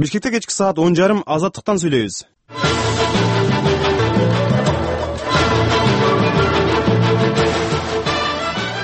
Бишкекте кечки саат 10:30 Азаттыктан сүйлөйбүз.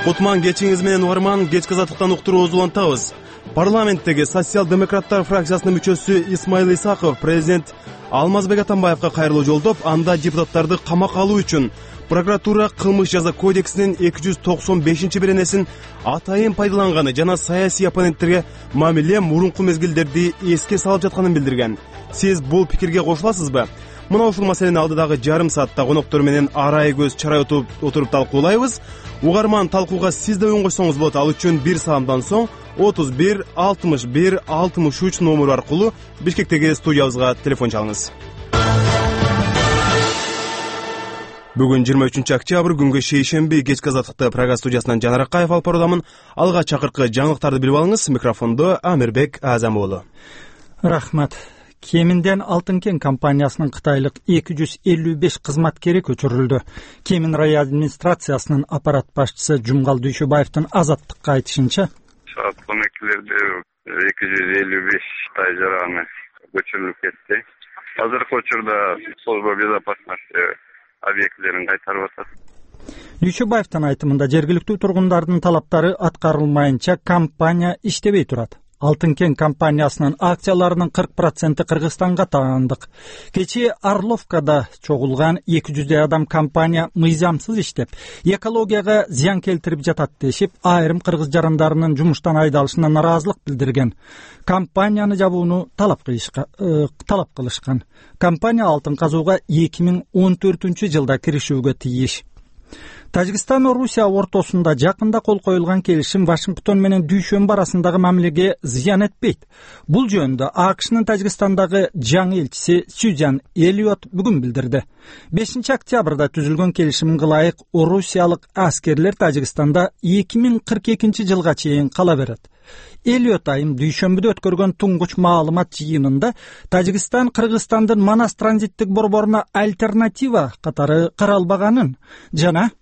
Кутман кечиңиз менен угарман, кечки Азаттыктан уктуруубузду улантабыз. Парламенттеги социал-демократтар фракциясынын мүчөсү Исмаил Исаков президент Алмазбек Атамбаевга кайрылуу жолдоп, анда депутаттарды камакка алуу үчүн прокуратура кылмыш жаза кодексинин 295-беренесин атайын пайдаланганы жана саясий оппоненттерге мамиле мурунку мезгилдерди эске салып жатканын билдирген. Сиз бул пикирге кошуласызбы? Мына ушул маселени алдыдагы жарым саатта коноктор менен арай көз чарай отуруп талкуулайбыз. Угарман, талкууга сиз да өн койсоңуз болот. Ал үчүн бир саамдан соң 31 61 63 номеру аркылуу Бишкектеги студиябызга телефон чалыңыз. Бүгүн 23 октябрь, күнгө шейшемби, кечки Азаттыкты программа студиясынан Жанар Акаев алып баруудамын. Алга чакыркы жаңылыктарды билип алыңыз. Микрофондо Амирбек Азам уулу. Рахмат. Кеминден Алтын кен компаниясынын кытайлык 255 кызматкери көчүрүлдү. Кемин район администрациясынын аппарат башчысы Жумгал Дүйшөбаевдин Азаттыкка айтышынча, саат 12-лерде 255 тай жараны көчүрүлүп кетти. Азыркы учурда служба безопасности объектилерин кайтарып атат. Дүйшөбаевдин айтымында жергиликтүү тургундардын талаптары аткарылмайынча компания иштебей турат. Алтын кен компаниясынын акцияларынын 40% Кыргызстанга таандык. Кечээ Орловкада чогулган 200 адам компания мыйзамсыз иштеп, экологияга зыян келтирип жатат дешип, айрым кыргыз жарандарынын жумуштан айдалышына наразылык билдирген. Компанияны жабууну талап кылышкан. Компания алтын казууга 2014-жылда киришүүгө тийиш. Тажикстан менен Орусия ортосунда жакында кол коюлган келишим Вашингтон менен Дүйшөмбү арасындагы мамилеге зыян этпейт. Бул жөнүндө АКШнын Тажикстандагы жаңы элчиси Сюзан Эллиот бүгүн билдирди. 5 октябрда түзүлгөн келишимге ылайык орусиялык аскерлер Тажикстанда 2042-жылга чейин кала берет. Эллиот айым Дүйшөмбүдө өткөргөн туңгуч маалымат жыйынында Тажикстан Кыргызстандын Манас транзиттик борборуна альтернатива катары каралбаганын жана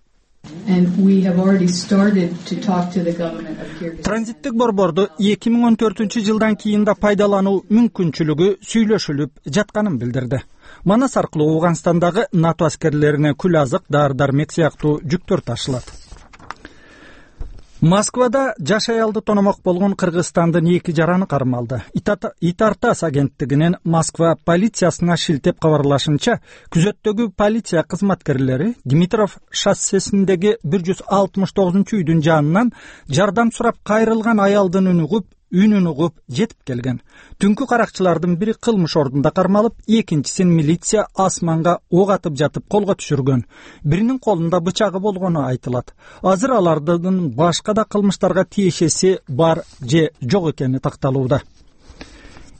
транзиттик борборду 2014-жылдан кийин да пайдалануу мүмкүнчүлүгү сүйлөшүлүп жатканын билдирди. Манас аркылуу Ооганстандагы НАТО аскерлерине күл азык, дары-дармек сыяктуу жүктөр ташылат. Москвада жаш аялды тономок болгон Кыргызстандын 2 жараны кармалды. Итартас агенттигинин Москва полициясына шилтеп кабарлашынча, күзөттөгү полиция кызматкерлери Димитров шоссесиндеги 169-үйдүн жанынан жардам сурап кайрылган аялдын үнүн угуп жетип келген. Түнкү каракчылардын бири кылмыш ордунда кармалып, экинчисин милиция асманга ок атып жатып колго түшүргөн. Биринин колунда бычагы болгону айтылат. Азыр алардын башка да кылмыштарга тиешеси бар же жок экени такталууда.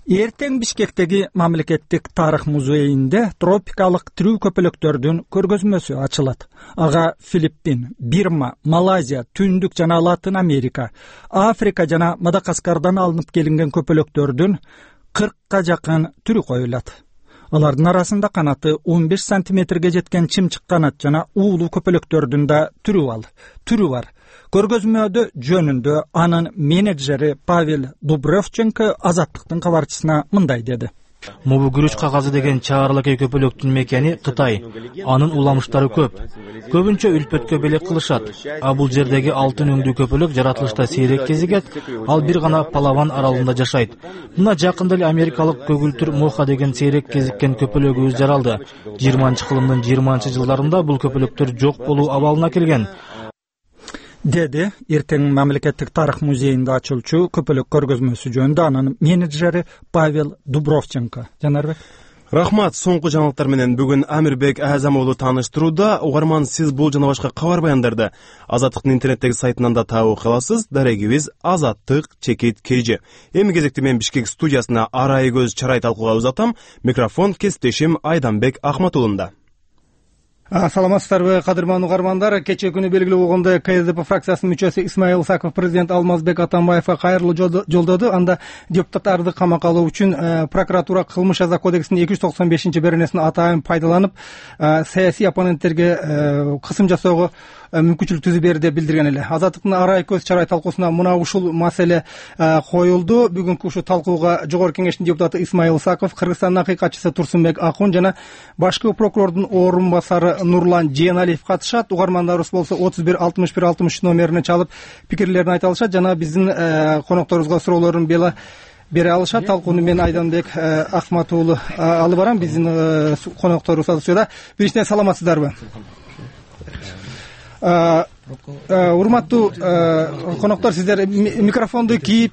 Эртең Бишкектеги мамлекеттик тарых музейинде тропикалык тирүү көпөлөктөрдүн көргөзмөсү ачылат. Ага Филиппин, Бирма, Малайзия, Түндүк жана Латын Америка, Африка жана Мадагаскардан алынып келинген көпөлөктөрдүн 40-ка жакын түрү коюлат. Алардын арасында канаты 15 сантиметрге жеткен чымчык канат жана уулуу көпөлөктөрдүн да түрү бар. Көргөзмөдө жөнүндө анын менеджери Павел Дубровченко Азаттыктын кабарчысына мындай деди. Мобу күрүч кагазы деген чаарылакай көпөлөктүн мекени Кытай. Анын уламыштары көп. Көбүнчө үлпөткө белек кылышат. А бул жердеги алтын өңдүү көпөлөк жаратылышта сейрек кезигет, ал бир гана Палаван аралында жашайт. Мына жакында эле америкалык көгүлтүр моха деген сейрек кезиккен көпөлөгүбүз жаралды. 20-кылымдын 20-жылдарында бул көпөлөктөр жок болуу абалына келген. Деди эртең мамлекеттик тарых музейинде ачылчу көпөлөк көргөзмөсү жөнүндө анын менеджери Павел Дубровченко. Жанарбек. Рахмат. Соңку жаңылыктар менен бүгүн Амирбек Азам уулу тааныштырууда. Угарман, сиз бул жана башка кабар баяндарды Азаттыктын интернеттеги сайтынан да табуу кыласыз. Дарегибиз azattyk.kg. Эми кезекте мен Бишкек студиясына арай көз чарай талкууга узатам. Микрофон кесиптешим Айданбек Ахматуулунда. Саламатсыздарбы, кадырман угармандар. Кечээ күнү белгилүү болгондой КСДП фракциясынын мүчөсү Исмаил Исаков президент Алмазбек Атамбаевга кайрылуу жолдоду. Анда депутаттарды камакка алуу үчүн прокуратура кылмыш жаза кодексинин 295-беренесин атайын пайдаланып, саясий оппоненттерге кысым жасоого мүмкүнчүлүк түзүп берди деп билдирген эле. Азаттыктын арай көз чарай талкуусуна мына ушул маселе коюлду. Бүгүнкү ушул талкууга Жогорку Кеңештин депутаты Исмайыл Исаков, Кыргызстандын акыйкатчысы Турсунбек Акун жана башкы прокурордун орун басары Нурлан Жээналиев катышат. Угармандарыбыз болсо 31 61 63 номерине чалып пикирлерин айта алышат жана биздин конокторубузга суроолорун бере алышат. Талкууну мен Айданбек Ахмат уулу алып барам. Биздин конокторубуз студияда. Биринчиден саламатсыздарбы? Урматтуу коноктор, сиздер микрофонду кийип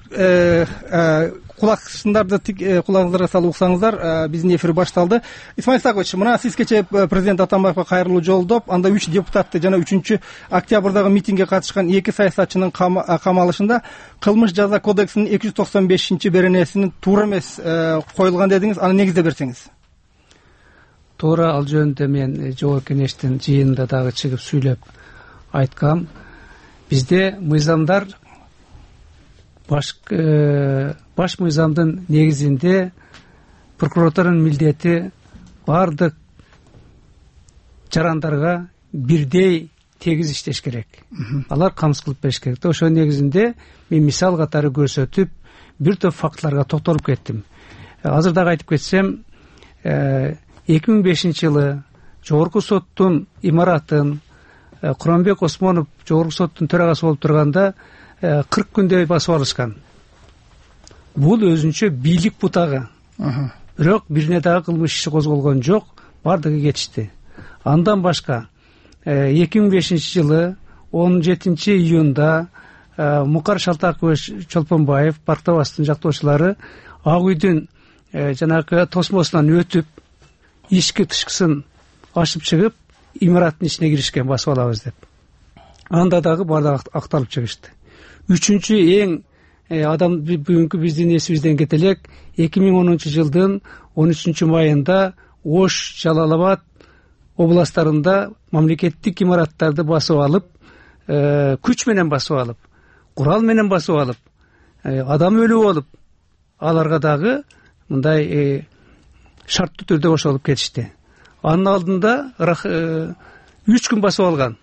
кулагыңыздарга салып уксаңыздар. Биздин эфир башталды. Исмаил Исакович, мына сиз кечээ президент Атамбаевга кайрылуу жолдоп, анда 3 депутатты жана 3 октябрдагы митингге катышкан 2 саясатчынын камалышында кылмыш жаза кодексинин 295-беренесинин туура эмес коюлган дедиңиз. Аны негиздеп берсеңиз. Туура, ал жөнүндө мен Жогорку Кеңештин жыйынында дагы чыгып сүйлөп айткам. Бизде мыйзамдар баш мыйзамдын негизинде прокуратуранын милдети бардык жарандарга бирдей тегиз иштеш керек. Алар камсыз кылып бериш керек. Ошол негизинде мен мисал катары көрсөтүп, бир топ фактыларга токтолуп кеттим. Азыр дагы айтып кетсем, 2005-жылы Жогорку соттун имаратын Куранбек Осмонов Жогорку соттун төрагасы болуп турганда 40 күндөй басып алышкан. Бул өзүнчө бийлик бутагы. Бирок бирине дагы кылмыш иши козголгон жок, бардыгы кетишти. Андан башка 2005-жылы 17-июнда Мукар Шалтакович Чолпонбаев, Парктабастын жактоочулары Ак үйдүн жанагы тосмосунан өтүп, ички тышкысын ачып чыгып, имараттын ичине киришкен, басып алабыз деп. Анда дагы бардыгы акталып чыгышты. Үчүнчү эң адам бүгүнкү биздин эсибизден кете элек, 2010-жылдын 13-майында Ош, Жалал-Абад областтарында мамлекеттик имараттарды басып алып, күч менен басып алып, курал менен басып алып, адам өлүү болуп, аларга дагы мындай шарттуу түрдө кошулуп кетишти. Анын алдында 3 күн басып алган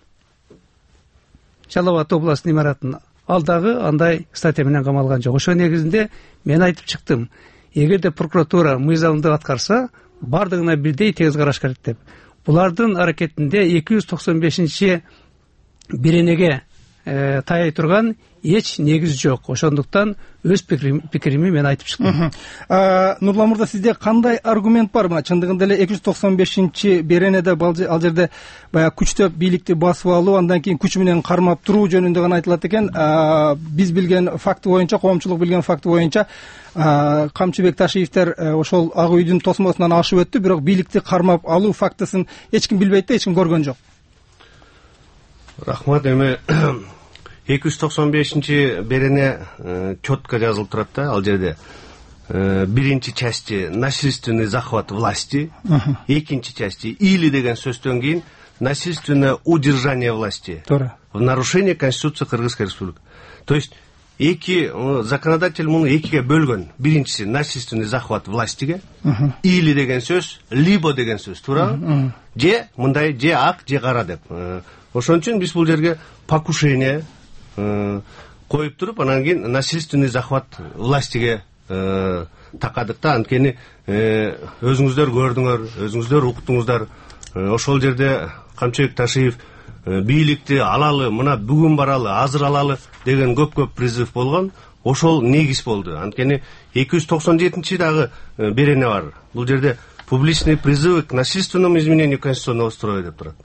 Жалал-Абад областынын имаратын. Ал дагы андай статья менен камалган жок. Ошол негизинде мен айтып чыктым. Эгерде прокуратура мыйзамды аткарса, бардыгына бирдей тегиз караш керек деп. Булардын аракетинде 295-беренеге таяй турган эч негиз жок. Ошондуктан өз пикирими мен айтып чыктым. Нурлан мырза, сизде кандай аргумент бар? Мына чындыгында эле 295-беренеде ал жерде баягы күчтөп бийликти басып алуу, андан кийин күч менен кармап туруу жөнүндө гана айтылат экен. Биз билген факты боюнча, коомчулук билген факты боюнча, Камчыбек Ташиевдер ошол Ак үйдүн тосмосунан ашып өттү, бирок бийликти кармап алуу фактысын эч ким билбейт да, эч ким көргөн жок. Рахмат. Эми 295-берене четко жазылып турат да, ал жерде. Биринчи части насильственный захват власти, экинчи части или деген сөздөн кийин насильственное удержание власти в нарушение Конституции Кыргызской Республики. То есть законодатель муну экиге бөлгөн. Биринчиси насильственный захват властиге, или деген сөз, либо деген сөз, туурабы? Же мындай, же ак, же кара деп. Ошон үчүн биз бул жерге покушение коюп туруп, анан кийин насильственный захват властиге такадык да. Анткени өзүңүздөр көрдүңөр, өзүңүздөр уктуңуздар. Ошол жерде Камчыбек Ташиев бийликти алалы, мына бүгүн баралы, азыр алалы деген көп призыв болгон. Ошол негиз болду. Анткени 297-чи дагы берене бар. Бул жерде публичный призывы к насильственному изменению конституционного строя деп турат.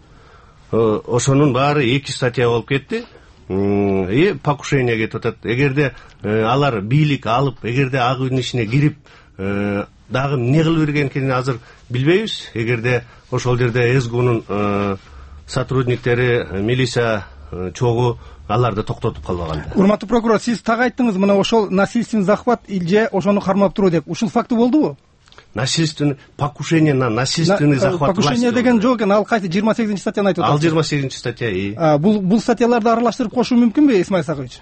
Ошонун баары 2 статья болуп кетти. И покушение кетип атат. Эгерде алар бийлик алып, эгерде Ак үйдүн ичине кирип, дагы эмне кылып берген экенин азыр билбейбиз. Эгерде ошол жерде СГУнун сотрудниктери, милиция чогуу аларды токтотуп калбаганда. Урматтуу прокурор, сиз так айттыңыз, мына ошол насильственный захват же ошону кармап туруу деп. Ушул факты болдубу? Насильственный покушение на насильственный захват власти. Покушение деген жок экен, ал кайсы 28-чи статьяны айтып атат. Ал 28-чи статья. Бул статьяларды аралаштырып кошуу мүмкүнбү, Исмаил Исакович?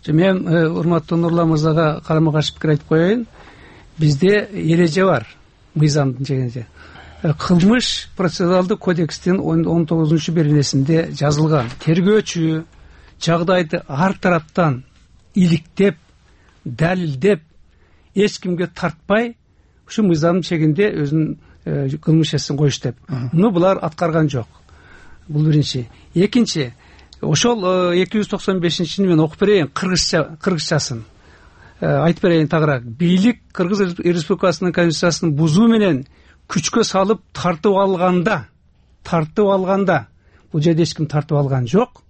Мен урматтуу Нурлан мырзага карама каршы пикир айтып коеюн. Бизде эреже бар, мыйзамдын чегинде. кылмыш процессуалдык кодекстин 19-беренесинде жазылган. Тергөөчү жагдайды ар тараптан иликтеп, далилдеп, эч кимге тартпай, ушу мыйзам чегинде өзүнүн кылмыш эсин коюш деп. Муну булар аткарган жок. Бул биринчи. Экинчи, ошол 295-ни мен окуп берейин, кыргызчасын. Айтып берейин тагыраак. Бийлик Кыргыз Республикасынын конституциясын бузуу менен күчкө салып тартып алганда, бул жерде эч ким тартып алган жок.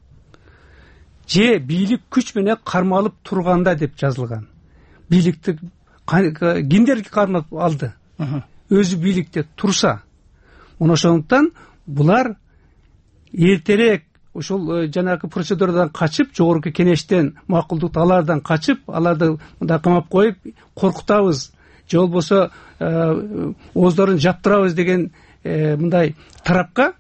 Же бийлик күч менен кармалып турганда деп жазылган. Бийликти кимдер кармап алды? Өзү бийликте турса. Мына ошондуктан булар эртерээк ошол жанагы процедурадан качып, жогорку кеңештен макулдук алардан качып, аларды мындай камап коюп, коркутабыз, же болбосо оздорун жаптырабыз деген мындай тарапка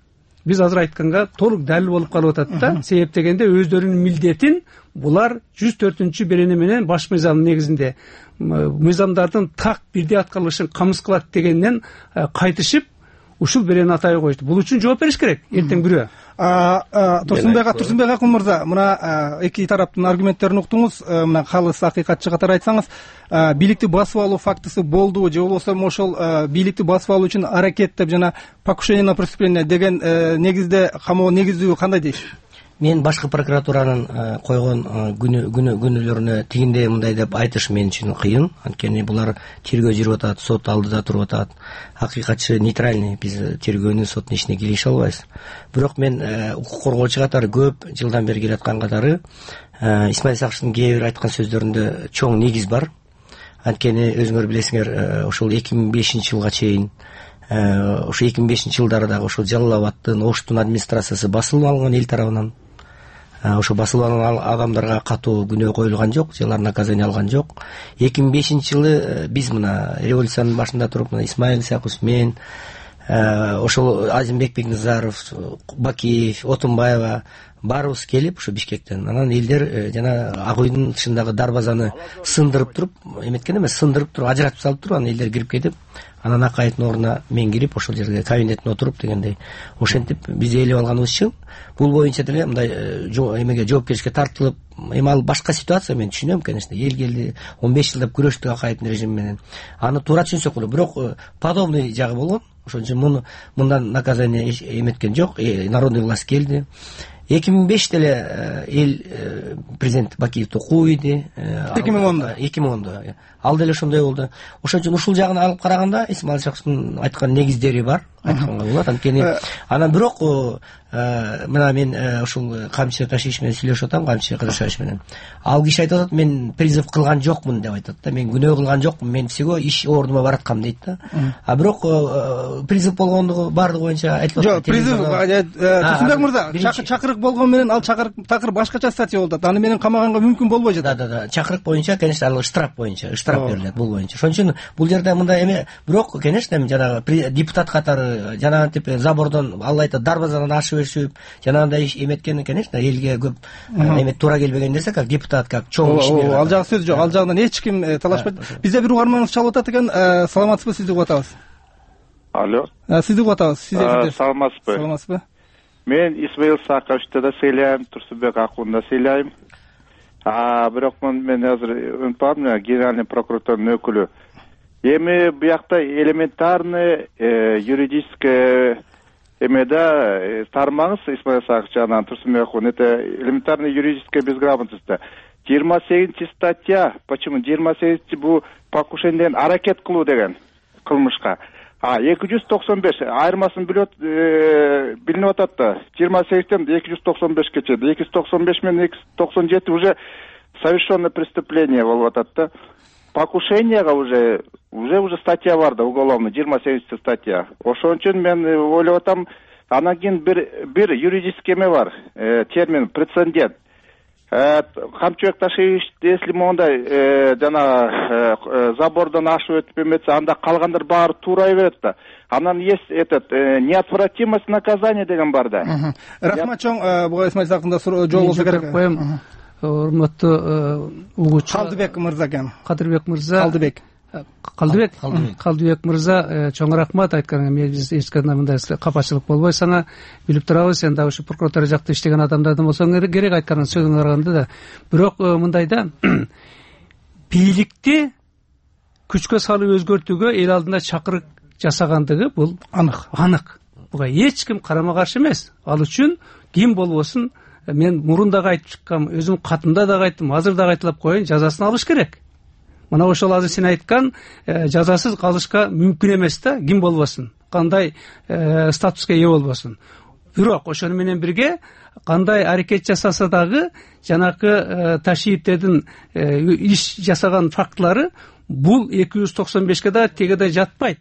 биз азыр айтканга толук далил болуп калып атат да. Себеп дегенде өздөрүнүн милдетин булар 104-берене менен баш мыйзамдын негизинде мыйзамдардын так бирдей аткарылышын камсыз кылат дегенден кайтышып, ушул берени атай коюшту. Бул үчүн жооп бериш керек эртең күрөө. Турсунбек Акун мырза, мына эки тараптын аргументтерин уктуңуз. Мына калыс акыйкатчы катары айтсаңыз, бийликти басып алуу фактысы болдубу, же болбосо ошол бийликти басып алуу үчүн аракет деп жана покушение на преступление деген негизде камоо негиздүү кандай дейсиз? Мен башкы прокуратуранын койгон күнөөлөрүнө тигиндей мындай деп айтыш мен үчүн кыйын. Анткени булар тергөө жүрүп атат, сот алдыда туруп атат. Акыйкатчы нейтральный, биз тергөөнүн соттун ишине киреше албайбыз. Бирок мен укук коргоочу катары көп жылдан бери келаткан катары Исмаил Сакыштын кээ бир айткан сөздөрүндө чоң негиз бар. Анткени өзүңөр билесиңер, ошол 2005-жылга чейин ошо 2005-жылдары дагы ошол Жалал Абадтын, Оштун администрациясы басылып алынган эл тарабынан. Ошо басылып алган адамдарга катуу күнөө коюлган жок, же алар наказание алган жок. 2005-жылы биз мына революциянын башында туруп, мына Исмаил Сакыш, мен, ошол Азимбек Бекназаров, Бакиев, Отунбаева баарыбыз келип ушу Бишкектен, анан элдер жана Ак үйдүн тышындагы дарбазаны сындырып туруп, эметкен эмес, сындырып туруп, ажыратып салып туруп, анан элдер кирип кетип, анан Акаевдин ордуна мен кирип, ошол жерге кабинетине отуруп дегендей, ошентип биз ээлеп алганыбыз үчүн бул боюнча деле мындай эмеге жоопкерчиликке тартылып, эми ал башка ситуация, мен түшүнөм, конечно, эл келди, 15 жылдап күрөштүк Акаевдин режими менен. Аны туура түшүнсөк болот, бирок подобный жагы болгон. Ошон үчүн мындан наказание эметкен жок, народный власть келди. 2005 деле эл президент Бакиевди кууйду. 2010. Ал деле ошондой болду. Ошон үчүн ушул жагын алып караганда Исмаил Сакыштын айткан негиздери бар, айтканга болот. Анткени анан бирок мына мен ушул Камчы Ташиш менен сүйлөшүп атам, Камчы Кадыршевич менен. Ал киши айтып атат, мен призыв кылган жокмун деп айтат да. Мен күнөө кылган жокмун, мен всего иш ордума бараткам дейт да. Бирок призыв болгондугу бардыгы боюнча айтылып атат. Жок, призыв Турсунбек мырза, чакырык болгон менен ал чакырык такыр башкача статья болуп атат. Аны менен камаганга мүмкүн болбой жатат. Да. Чакырык боюнча, конечно, ал штраф боюнча, штраф берилет бул боюнча. Ошон үчүн бул жерде мындай эме, бирок, конечно, жанагы депутат катары жанагынтип забордон, алла айтат, дарбазадан ашып өсүп, жанагындай эметкен, конечно, элге көп эме туура келбеген нерсе, как депутат, как чоң ишмер. Ал жагы сөз жок, ал жагынан эч ким талашпайт. Бизде бир угарманыбыз чалып атат экен. Саламатсызбы, сизди угуп атабыз. Алло. Сизди угуп атабыз. Саламатсызбы. Саламатсызбы. Мен Исмаил Сакыштты да сыйлайм, Турсунбек Акунду да сыйлайм. Бирок мен азыр өнпам, генеральный прокуратурдун өкүлү. Эми буякта элементарный юридическое эмеде тармаңыз Исмаил Сакыш жанынан Турсунбек Акун, это элементарная юридическая безграмотность. 28 статья, почему 28 бу покушениеден аракет кылуу деген кылмышка. 295 айырмасын билинип атат да. 28тен 295-ке чейин, 295 менен 297 уже совершенное преступление болуп атат да. Покушенияга уже статья бар да, уголовный, 28 статья. Ошон үчүн мен ойлоп атам, анан кийин бир юридический эме бар, термин прецедент. Камчыбек Ташевич, если мондай забордон ашып өтүп эметсе, анда калгандар баары туурай берет да. Анан есть неотвратимость наказания деген бар да. Рахмат чоң, буга Исмаил Сакында жол болсо керек. Урматтуу угуучу Кадырбек мырза экен. Кадырбек мырза. Кадырбек. Калдыбек мырза, чоң рахмат айтканыңа. Биз эч кандай мындай капачылык болбой сага билип турабыз. Сен дагы ушу прокуратура жакта иштеген адамдардан болсоң керек айткан сөзүңө караганда да. Бирок мындай да, бийликти күчкө салып өзгөртүүгө эл алдында чакырык жасагандыгы бул анык. Буга эч ким карама каршы эмес. Ал үчүн ким болбосун, мен мурун дагы айтып чыккам, өзүм катымда дагы айттым, азыр дагы айтылып коеюн, жазасын алыш керек. Мына ошол азыр сен айткан жазасыз калышка мүмкүн эмес да, ким болбосун, кандай статуска ээ болбосун. Бирок ошону менен бирге кандай аракет жасаса дагы жанакы Ташиевтердин иш жасаган фактылары бул 295ке да тегеде жатпайт.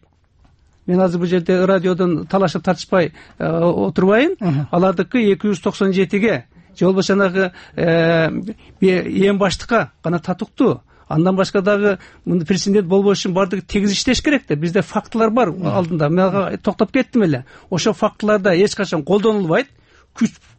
Мен азыр бул жерде радиодон талашып тартышпай отурбайын. Алардыкы 297ге же болбосо жанагы эң баштыкка гана татыктуу. Андан башка дагы президент болбош үчүн бардыгы тегиз иштеш керек да. Бизде фактылар бар алдында. Мен токтоп кеттим эле. Ошо фактыларда эч качан колдонулбайт.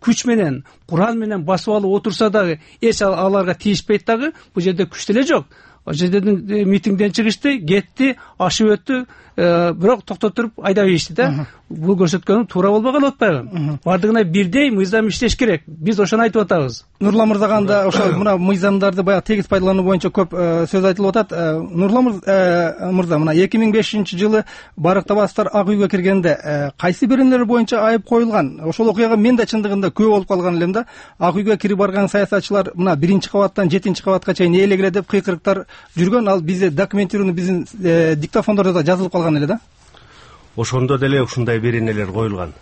Күч менен, курал менен басып алып отурса дагы эч аларга тийишпейт дагы. Бул жерде күч деле жок. О жерден митингден чыгышты, кетти, ашып өттү, бирок токтотуруп айдап ийишти да. Бул көрсөткөнүм туура болбогон атпайбы? Бардыгына бирдей мыйзам иштеш керек. Биз ошону айтып атабыз. Нурлан мырзаганда ошо мына мыйзамдарды баягы тегиз пайдалануу боюнча көп сөз айтылып атат. Нурлан мырза, мына 2005-жылы Барык Табасовдор Ак үйгө киргенде кайсы беренелер боюнча айып коюлган? Ошол окуяга мен да чындыгында күбө болуп калган элем да. Ак үйгө кирип барган саясатчылар мына 1-кабаттан 7-кабатка чейин ээлегиле деп кыйкырыктар жүргөн. Ал бизде документированный биздин диктофондордо да жазылып калган эле да. Ошондо деле ушундай беренелер коюлган,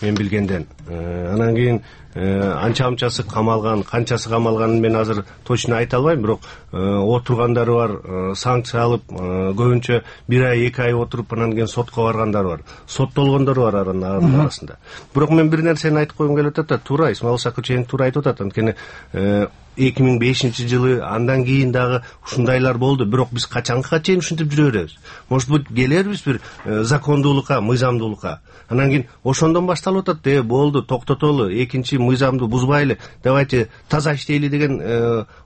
мен билгенден. Анан кийин анча-мынчасы камалган, канчасы камалганын мен азыр точно айта албайм, бирок отургандары бар, санкция алып, көбүнчө 1 ай, 2 ай отуруп анан кийин сотко баргандары бар. Соттолгондор бар анын арасында. Бирок мен бир нерсени айтып койгум келип атат. Туура, Исмаил Сакычев туура айтып атат. Анткени 2005-жылы андан кийин дагы ушундайлар болду. Бирок биз качанга чейин ушинтип жүрө беребиз? Может быть, келербиз бир закондуулукка, мыйзамдуулукка. Анан кийин ошондон башталып атат. Болду, токтотолу, экинчи мыйзамды бузбайлы, давайте таза иштейли деген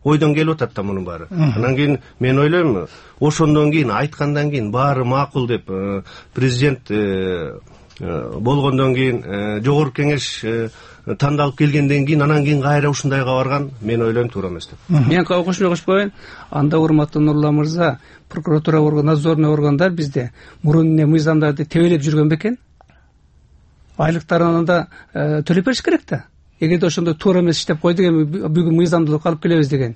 ойдон келип атат да мунун баары. Анан кийин мен ойлойм, ошондон кийин айткандан кийин баары макул деп президент болгондон кийин жогорку кеңеш тандалып келгенден кийин анан кийин кайра ушундайга барган, мен ойлойм туура эмес деп. Мен кошпойм. Анда урматтуу Нурлан мырза, прокуратура орган, надзорный органдар бизде мурун мыйзамдарды тебелеп жүргөн бекен? Айлыктарын анда төлөп бериш керек да. Эгерде ошондой туура эмес иштеп койду деген бүгүн мыйзамдуулукка алып келебиз деген.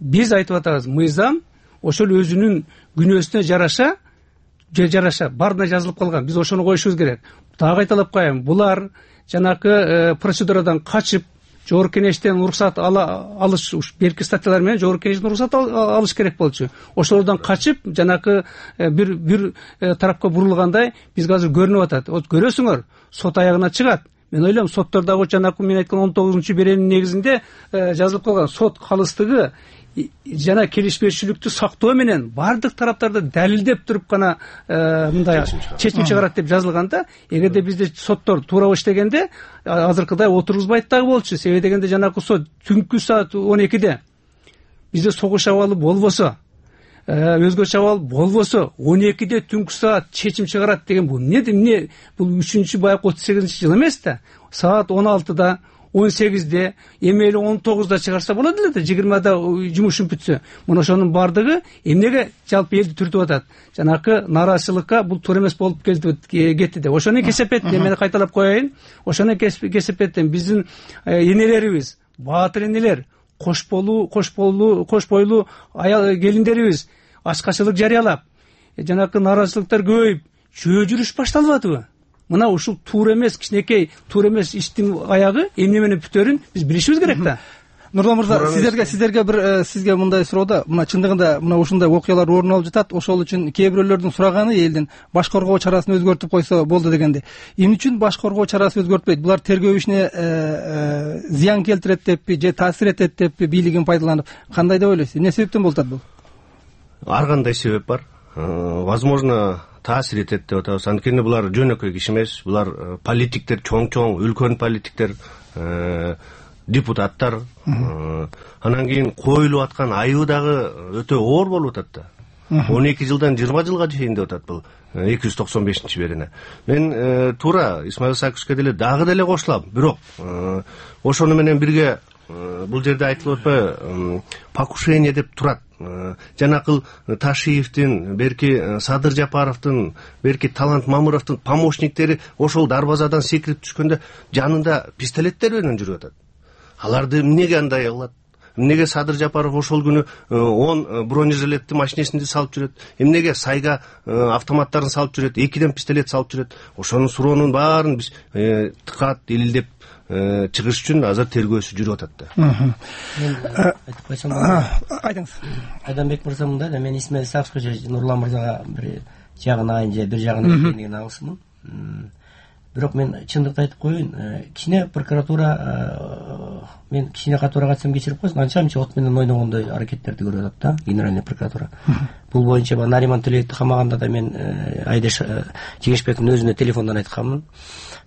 Биз айтып атабыз, мыйзам ошол өзүнүн күнөөсүнө жараша баарына жазылып калган. Биз ошону коюшубуз керек. Дагы кайталап коеюн, булар жанакы процедурадан качып, жогорку кеңештен уруксат алыш, берки статьялар менен жогорку кеңештен уруксат алыш керек болчу. Ошолордон качып, жанакы бир тарапка бурулгандай бизге азыр көрүнүп атат. Көрөсүңөр, сот аягына чыгат. Мен ойлойм, соттардагы жанакы мен айткан 19-беренин негизинде жазылып калган сот калыстыгы жана келишпешүүлүктү сактоо менен бардык тараптарды далилдеп туруп гана мындай чечим чыгарат деп жазылганда, эгерде бизде соттор туура иштегенде азыркыдай отургузбайт дагы болчу. Себеби дегенде жанакы сот түнкү саат 12-де бизде согуш абалы болбосо, өзгөчө абал болбосо 12-де түнкү саат чечим чыгарат деген бул эмне? Бул 3-чү баягы 38-жыл эмес да. Саат 16-да, 18-де, эмели 19-да чыгарса болот эле да, 20-да жумушун бүтсө. Мына ошонун бардыгы эмнеге жалпы элди түртүп атат? Жанакы нааразычылыкка бул туура эмес болуп кетти деп. Ошону кесепеттен мен кайталап коеюн. Ошону кесепеттен биздин энелерибиз, баатыр энелер, кош бойлуу аял келиндерибиз ачкачылык жарыялап, жанакы нааразычылыктар көбөйүп, жөө жүрүш башталбадыбы? Мына ушул туура эмес, кичинекей туура эмес иштин аягы эмне менен бүтөрүн биз билишибиз керек да. Нурлан мырза, сиздерге бир сизге мындай суроо. Мына чындыгында мына ушундай окуялар орун алып жатат. Ошол үчүн кээ бирөөлөрдүн сураганы элдин баш коргоо чарасын өзгөртүп койсо болду дегенде. Эмне үчүн баш коргоо чарасы өзгөртпөйт? Булар тергөө ишине зыян келтирет деппи же таасир этет деппи бийлигин пайдаланып? Кандай деп ойлойсуз? Эмне себептен болуп атат бул? Ар кандай себеп бар. Возможно, таасир этет деп атабыз. Анткени булар жөнөкөй киши эмес, булар политиктер, чоң үлкөн политиктер, депутаттар. Анан кийин коюлуп аткан айыбы дагы өтө оор болуп атат да. 12 жылдан 20 жылга чейин деп атат бул 295-берине. Мен туура Исмаил Исаковичке деле дагы деле кошулам. Бирок ошону менен бирге бул жерде айтылып атпайбы, покушение деп турат. Жанакыл Ташиевдин, берки Садыр Жапаровдун, берки Талант Мамыровдун помощниктери ошол дарбазадан секирип түшкөндө жанында пистолеттер менен жүрүп атат. Аларды эмнеге андай кылат? Эмнеге Садыр Жапаров ошол күнү 10 бронежилетти машинесинде салып жүрөт? Эмнеге Сайга автоматтарын салып жүрөт? 2ден пистолет салып жүрөт? Ошонун суроонун баарын биз тыкат, илилдеп чыгыш үчүн азыр тергөөсү жүрүп атат да. Айтып койсом, айтыңыз. Айданбек мырза мындай да, мен Исмаил Исаковичке же Нурлан мырзага бир жагын айын же бир жагын экендигин алсымын. Бирок мен чындыкты айтып коеюн, кичине прокуратура, мен кичине катуураак айтсам кечирип койсун, анча-мынча от менен ойногондой аракеттерди көрүп атат да, генеральный прокуратура. Бул боюнча Нариман Төлөевди камаганда да мен Айдеш Жигешбековдун өзүнө телефондон айтканмын.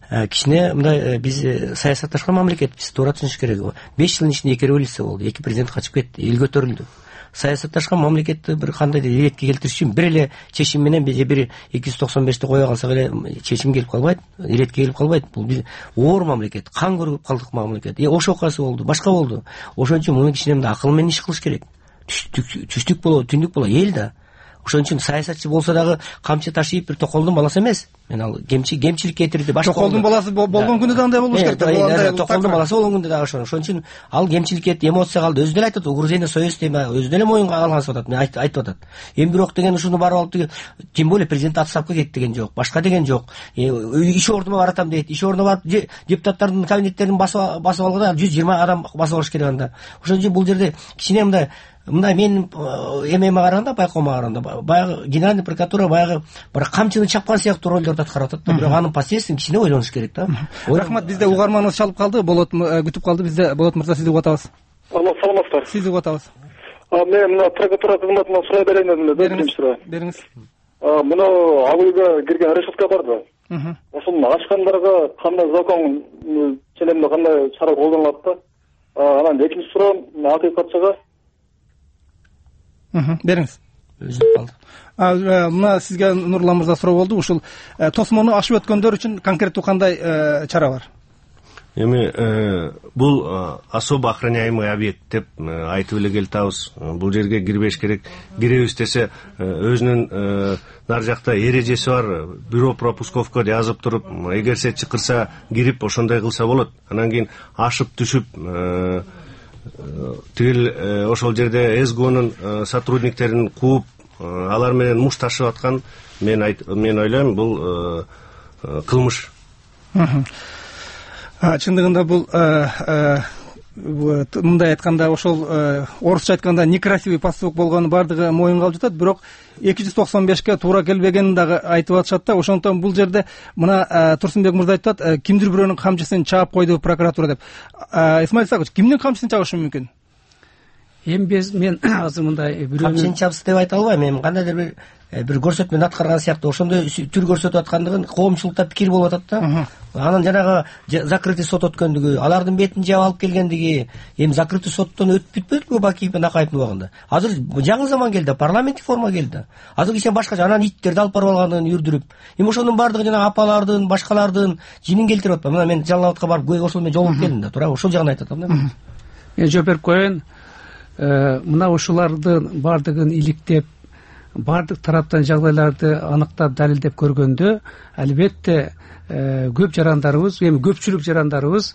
Кичине мындай биз саясатташкан мамлекетпиз, туура түшүнүш керек. 5 жылдын ичинде 2 революция болду, 2 президент качып кетти, эл көтөрүлдү. Саясатташкан мамлекетти бир кандайдыр иретке келтириш үчүн бир эле чечим менен бир 295-ти кое калсак эле чечим келип калбайт, иретке келип калбайт. Бул биз оор мамлекет, кан көрүп калдык мамлекет. Ош окуясы болду, башка болду. Ошон үчүн муну кичине акыл менен иш кылыш керек. Түштүк болобу, түндүк болобу эл да. Ошон үчүн саясатчы болсо дагы камчы ташыйп бир Токолдун баласы эмес. Мен ал кемчилик кетирди. Токолдун баласы болгон күндө да андай болуш керек. Токолдун баласы болгон күндө дагы ошон үчүн ал кемчилик кетти, эмоция калды. Өзү деле айтат, угрызение совести өзү деле моюнга алгансып атат. Мен айтып атат. Эми бирок деген ушуну барып алып деген, тем более президент отставка кетти деген жок, башка деген жок. Иш ордума баратам дейт. Иш ордуна барып депутаттардын кабинеттерин басып алганда 120 адам басып алыш керек анда. Ошон үчүн бул жерде кичине мындай мен эмеме караганда, байкоомо караганда баягы генеральный прокуратура баягы бир камчыны чапкан сыяктуу ролдорду аткарып атат да. Бирок анын последствиесин кичине ойлонуш керек да. Рахмат, бизде угарманыбыз чалып калды. Болот күтүп калды. Бизде Болот мырза, сизди угуп атабыз. Алло, саламатсыздар. Сизди угуп атабыз. Мен мына прокуратура кызматынан сурай берейин дедим. Бериңиз. Мына ал үйгө кирген решетка барды. Ошону ачкандарга кандай закон ченемде кандай чара колдонулат да? Анан экинчи суроом акыйкатчыга. Бериңиз. Мына сизге Нурлан мырза суроо болду. Ушул тосмону ашып өткөндөр үчүн конкреттүү кандай чара бар? Эми бул особо охраняемый объект деп айтып эле келатабыз. Бул жерге кирбеш керек. Киребиз десе өзүнүн нар жакта эрежеси бар. Бюро пропусковка жазып туруп, эгерсе чакырса кирип ошондой кылса болот. Анан кийин ашып түшүп тигил ошол жерде СГОнун сотрудниктерин кууп, алар менен муш ташып аткан, мен ойлойм, бул кылмыш. Чындыгында бул мындай айтканда, ошол орусча айтканда некрасивый поступок болгону бардыгы моюнга алып жатат, бирок 295ке туура келбегенин дагы айтып атышат да. Ошондон бул жерде мына Турсунбек мырза айтып атат, кимдир бирөөнүн камчысын чаап койду прокуратура деп. Исмаил Исакович, кимдин камчысын чабышы мүмкүн? Эми мен азыр мындай камчыны чабсы деп айта албайм. Эми кандайдыр бир көрсөтмөнү аткарган сыяктуу ошондой түр көрсөтүп аткандыгын коомчулукта пикир болуп атат да. Анан жанагы закрытый сот өткөндүгү, алардын бетин жаап алып келгендиги, эми закрытый соттон өтүп бүтпөдүбү Бакиев менен Акаевдин убагында? Азыр жаңы заман келди, парламенттик форма келди. Азыр кичине башкача, анан иттерди алып барып алгандыгын үрдүрүп. Эми ошонун бардыгы жана апалардын, башкалардын жинин келтирип атпайбы? Мына мен Жалал Абадка барып ошол менен жолугуп келдим да, туура ошол жагын айтып атам да. Мен жооп берип коеюн. Мына ушулардын бардыгын иликтеп, бардык тараптан жагдайларды аныктап, далилдеп көргөндө, албетте көп жарандарыбыз, эми көпчүлүк жарандарыбыз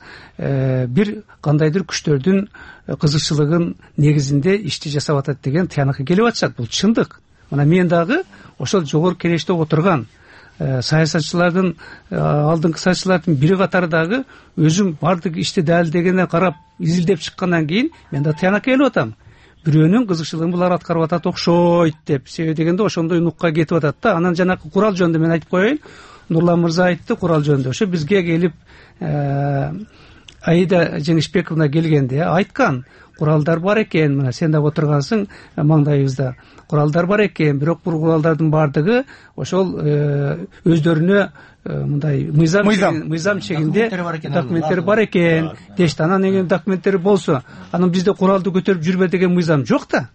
бир кандайдыр күчтөрдүн кызыкчылыгын негизинде ишти жасап атат деген тыянакка келип атышат. Бул чындык. Мына мен дагы ошол жогорку кеңеште отурган саясатчылардын, алдыңкы саясатчылардын бири катары дагы өзүм бардык ишти далилдегенде карап, изилдеп чыккандан кийин мен да тыянакка келип атам. Бирөөнүн кызыкчылыгын булар аткарып атат окшойт деп. Себеби дегенде ошондой нукка кетип атат да. Анан жанакы курал жөнүндө мен айтып коеюн. Нурлан мырза айтты курал жөнүндө. Ошо бизге келип Аида Жеңишбековна келгенде айткан, куралдар бар экен, мына сен да отургансың маңдайыбызда. Куралдар бар экен, бирок бул куралдардын бардыгы ошол өздөрүнө мындай мыйзам чегинде документтери бар экен дешти. Анан эгер документтери болсо, анан бизде куралды көтөрүп жүрбө деген мыйзам жок да.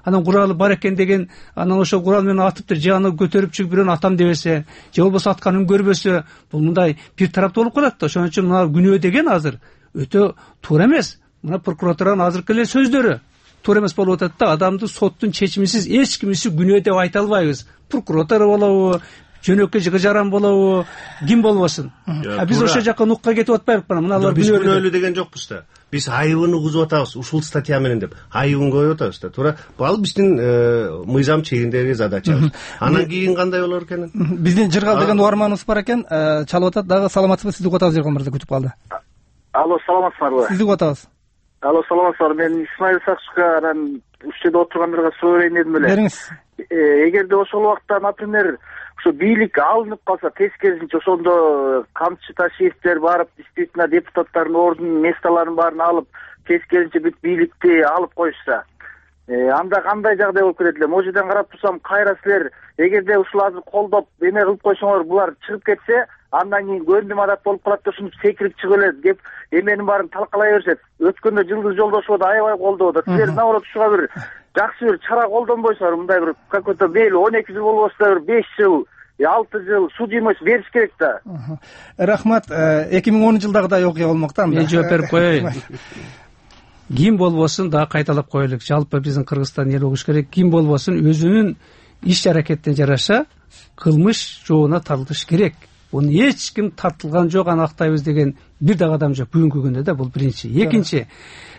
анан куралы бар экен деген, анан ошол курал менен атыптыр, же аны көтөрүп чыгып бирөөнү атам дебесе, же болбосо атканын көрбөсө, бул мындай бир тараптуу болуп калат да. Ошон үчүн мына күнөө деген азыр өтө туура эмес. Мына прокуратуранын азыркы эле сөздөрү туура эмес болуп атат да. Адамды соттун чечимисиз эч кимиси күнөө деп айта албайбыз. Прокуратура болобу, жөнөкөй жаран болобу, ким болбосун. Биз ошол жакка нукка кетип атпайбызбы? Мына алар күнөөлүү деген жокпуз да. Биз айыбын угузуп атабыз ушул статья менен деп. Айыбын коюп атабыз да. Туура. Ал биздин мыйзам чегиндеги задачабыз. Анан кийин кандай болор экен? Биздин Жыргал деген угарманыбыз бар экен, чалып атат дагы. Саламатсызбы? Сизди угатабыз, Жыргал мырза, күтүп калды. Алло, саламатсызбы? Сизди угатабыз. Алло, саламатсызбы? Мен Исмаил Сакчка анан ушул жерде отургандарга суроо берейин дедим эле. Бериңиз. Эгерде ошол убакта, например, ушу бийлик алынып калса, тескерисинче ошондо Камчы Ташиевдер барып, действительно депутаттардын ордун, месталарын баарын алып, тескерисинче бүт бийликти алып коюшса, анда кандай жагдай болуп кетет эле? Могу жерден карап турсам, кайра силер эгерде ушул азыр колдоп эме кылып койсоңор, булар чыгып кетсе, андан кийин көндүм адат болуп калат да, ушинтип секирип чыгып эле деп эменин баарын талкалай беришет. Өткөндө Жылдыз Жолдошева да аябай колдоду. Силер наоборот ушуга бир жакшы бир чара колдонбойсуңар, мындай бир какой-то мейли 12 жыл болбосо да бир 5 жыл, 6 жыл судимость бериш керек да. Рахмат. 2010-жылдагыдай окуя болмок да. Мен жооп берип коеюн. Ким болбосун дагы кайталап коелук. Жалпы биздин Кыргызстан эл угуш керек. Ким болбосун өзүнүн иш-аракетине жараша кылмыш жообуна тартылыш керек. Буну эч ким тартылган жок, аны актайбыз деген бир дагы адам жок бүгүнкү күндө да. Бул биринчи. Экинчи,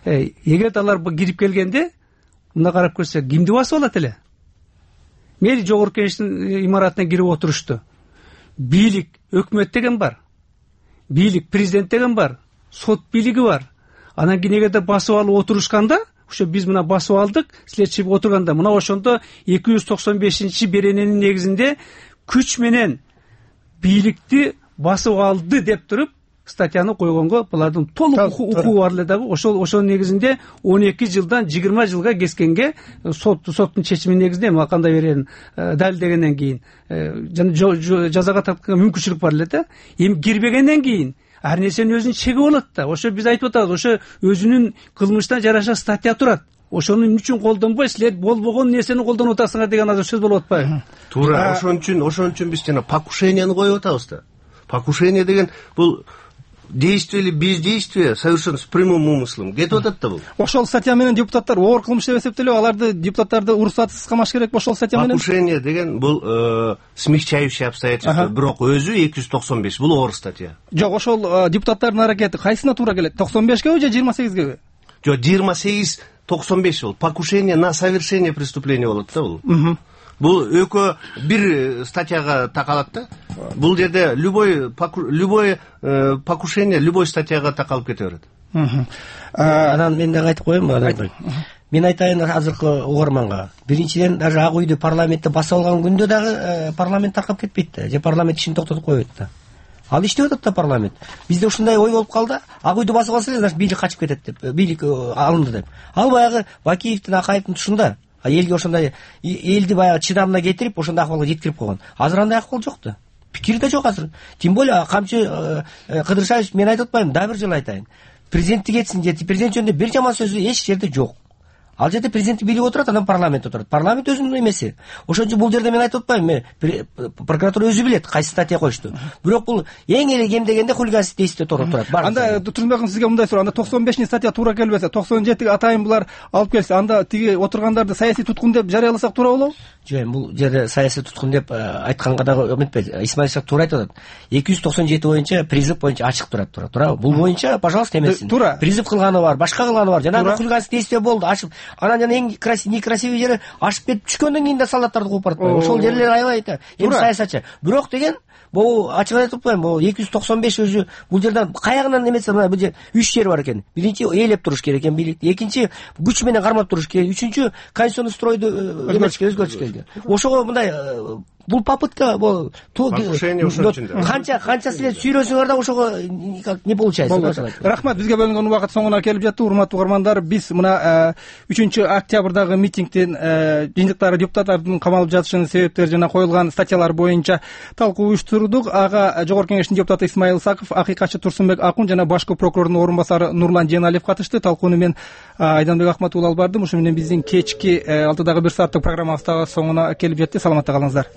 эгер алар кирип келгенде мына карап көрсөк, кимди басып алат эле? Мейли жогорку кеңештин имаратына кирип отурушту. Бийлик, өкмөт деген бар. Бийлик, президент деген бар. Сот бийлиги бар. Анан кийин эгерде басып алып отурушканда, ошо биз мына басып алдык, силер чыгып отурганда, мына ошондо 295-берененин негизинде күч менен бийликти басып алды деп туруп статьяны койгонго булардын толук укугу бар эле дагы. Ошонун негизинде 12 жылдан 20 жылга кескенге соттун чечиминин негизинде эми кандай берерин далилдегенден кийин жазага тартканга мүмкүнчүлүк бар эле да. Эми кирбегенден кийин ар нерсенин өзүнүн чеги болот да. Ошо биз айтып атабыз, ошо өзүнүн кылмышына жараша статья турат. Ошонун үчүн колдонбой, силер болбогон нерсени колдонуп атасыңар деген азыр сөз болуп атпайбы? Туура. Ошон үчүн биз жана покушенияны коюп атабыз да. Покушение деген бул действие или бездействие совершенно с прямым умыслом кетип атат да бул. Ошол статья менен депутаттар оор кылмыш деп эсептелип, аларды депутаттарды уруксатсыз камаш керек ошол статья менен. Покушение деген бул смягчающие обстоятельства, бирок өзү 295 бул оор статья. Жок, ошол депутаттардын аракети кайсына туура келет? 95геби же 28геби? Жок, 28-95 бул. Покушение на совершение преступления болот да бул. Бул экөө бир статьяга такалат да. Бул жерде любой покушение любой статьяга такалып кете берет. Анан мен дагы айтып коеюнбу? Мен айтайын азыркы угарманга. Биринчиден, даже Ак үйдү парламентте басып алган күндө дагы парламент таркап кетпейт да. Же парламент ишин токтотуп коюп да. Ал иштеп атат да парламент. Бизде ушундай ой болуп калды. Ак үйдү басып алса, значит бийлик качып кетет деп, бийлик алынды деп. Ал баягы Бакиевдин, Акаевдин тушунда. Элге ошондой элди баягы чыдамына кетирип, ошондой акыбалга жеткирип койгон. Азыр андай акыбал жок да. Пикири да жок азыр. Тем более Камчы Кыдыршаевич, мен айтып атпайм, дагы бир жолу айтайын. Президенттик кетсин же президент жөнүндө бир жаман сөзү эч жерде жок. Ал жерде президент бийлиги отурат, анан парламент отурат. Парламент өзүнүн эмеси. Ошон үчүн бул жерде мен айтып атпайм, прокуратура өзү билет кайсы статья коюшту. Бирок бул эң эле кем дегенде хулиганский действие турат. Анда Турсунбек сизге мындай суроо, анда 95 статья туура келбесе, 97 атайын булар алып келсе, анда тиги отургандарды саясий туткун деп жарыяласак туура болобу? Жок, бул жерде саясий туткун деп айтканга дагы үмүтпейт. Исмаил Сак туура айтып атат. 297 боюнча призыв боюнча ачык турат. Туура. Бул боюнча, пожалуйста, эмесин. Призыв кылганы бар, башка кылганы бар. Жанагы хулиганский действие болду, ачып. Анан жана эң некрасивый жери ашып кетип түшкөндөн кийин да солдаттарды кууп баратпайбы? Ошол жерлер аябай эми саясатчы. Бирок деген бул ачык айтып атпайм, бул 295 өзү бул жерден каягынан эмесе, мына бул жер 3 жер бар экен. Биринчи ээлеп туруш керек экен бийлик, экинчи күч менен кармап туруш керек, үчүнчү конституционный стройду өзгөртүш керек. Ошого мындай бул попытка покушение ошон үчүн да. канча силер сүйлөсөңөр да ошого никак не получается. Рахмат, бизге бөлүнгөн убакыт соңуна келип жатты. Урматтуу угармандар, биз мына 3 октябрдагы митингдин жыйынтыктары, депутаттардын камалып жатышынын себептери жана коюлган статьялар боюнча талкуу уюштурдук. Ага Жогорку Кеңештин депутаты Исмайыл Исаков, акыйкатчы Турсунбек Акун жана башкы прокурордун орун басары Нурлан Жeenалиев катышты. Талкууну мен Айданбек Ахмат алып бардым. Ошо менен биздин кечки 6-дагы 1 сааттык программабыз соңуна келип жетти. Саламатта калыңыздар.